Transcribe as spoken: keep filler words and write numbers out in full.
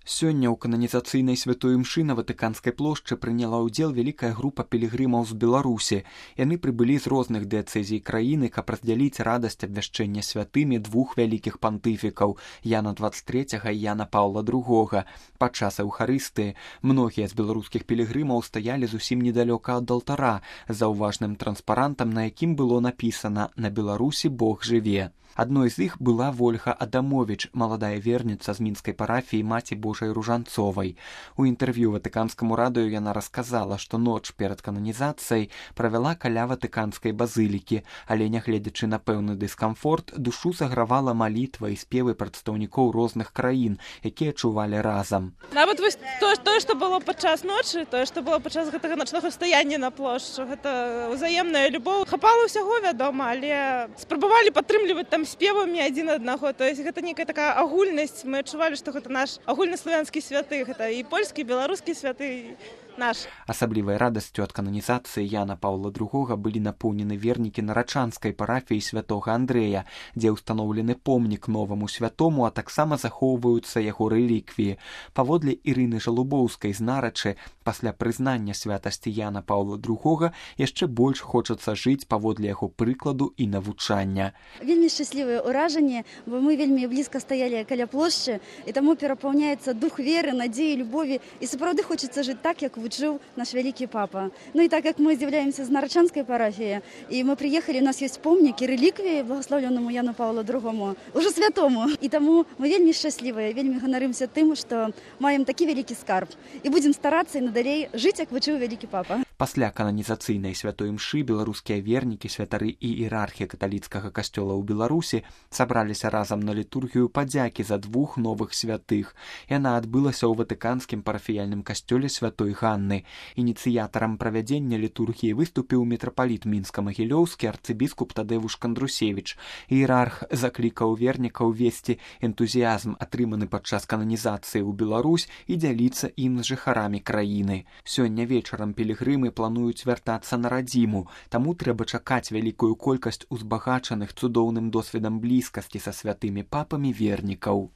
Сёння ў кананізацыйнай святой імшы на Ватыканскай плошчы прыняла ўдзел вялікая група пілігрымаў з Беларусі. Яны прыбылі з розных дыяцэзій краіны, каб раздзяліць радасць абвяшчэння святымі двух вялікіх пантыфікаў Яна дваццаць трэцяга і Яна Паўла другога. Падчас эўхарыстыі многія з беларускіх пілігрымаў стаялі зусім недалёка ад алтара за ўважным транспарантам, на якім было напісана «На Беларусі Бог жыве». Адной з іх была Вольга Адамовіч, маладая верніца з мінскай парафіі Маці Божай Ружанцовай. У інтэрв'ю Ватыканскаму радыё яна расказала, што ноч перад кананізацыяй правяла каля Ватыканскай базылікі, але, нягледзячы на пэўны дыскамфорт, душу загравала малітва і спевы прадстаўнікоў розных краін, якія чувалі разам. Нават вось тое, што было падчас ночы, тое, што было падчас гэтага начнога стаяння на плошчу, гэта ўзаемная любоў. Хапала ўсяго, вядома, але спрабавалі падтрымліваць там спевамі адзін аднаго, то есть гэта некая такая агульнасць, мы адчувалі, што гэта наш агульнаславянскі святы, гэта і польскі, і беларускі святы наш. Асаблівай радасцю ад кананізацыі Яна Паўла другога былі напоўнены вернікі нарачанскай парафіі святога Андрэя, дзе ўстаноўлены помнік новаму святому, а таксама захоўваюцца яго рэліквіі. Паводле Ірыны Жалубоўскай з Нарачы, пасля прызнання святасці Яна Паўла другога яшчэ больш хочацца жыць паводле яго прыкладу і навучання. Вельмі шчаслівыя ўражанні, бо мы вельмі блізка стаялі каля плошчы, і таму перапаўняецца дух веры, надзеі, любові, і сапраўды хочацца жыць так, як вучыў наш вялікі папа. Ну і так як мы з'яўляемся з нарачанскай парафіі, і мы прыехалі, у нас ёсць помнікі, рэліквіі благаслаўленаму Яну Паўлу другому, ужо святому. І таму мы вельмі шчаслівыя, вельмі ганарымся тым, што маем такі вялікі скарб. І будзем старацца і надалей жыць, як вучыў вялікі папа. Пасля кананізацыйнай святой імшы беларускія вернікі, святары і іерархія каталіцкага касцёла ў Беларусі сабраліся разам на літургію падзякі за двух новых святых. Яна адбылася ў Ватыканскім парафіяльным касцёле святой Ганны. Ініцыятарам правядзення літургіі выступіў мітрапаліт мінска-магілёўскі арцыбіскуп Тадзеўш Кандрусевіч. Іерарх заклікаў вернікаў весці энтузіязм, атрыманы падчас кананізацыі ў Беларусь, і дзяліцца ім з жыхарамі краіны. Сёння вечарам пілігрымы плануюць вяртацца на радзіму, таму трэба чакаць вялікую колькасць узбагачаных цудоўным досведам блізкасці са святымі папамі вернікаў.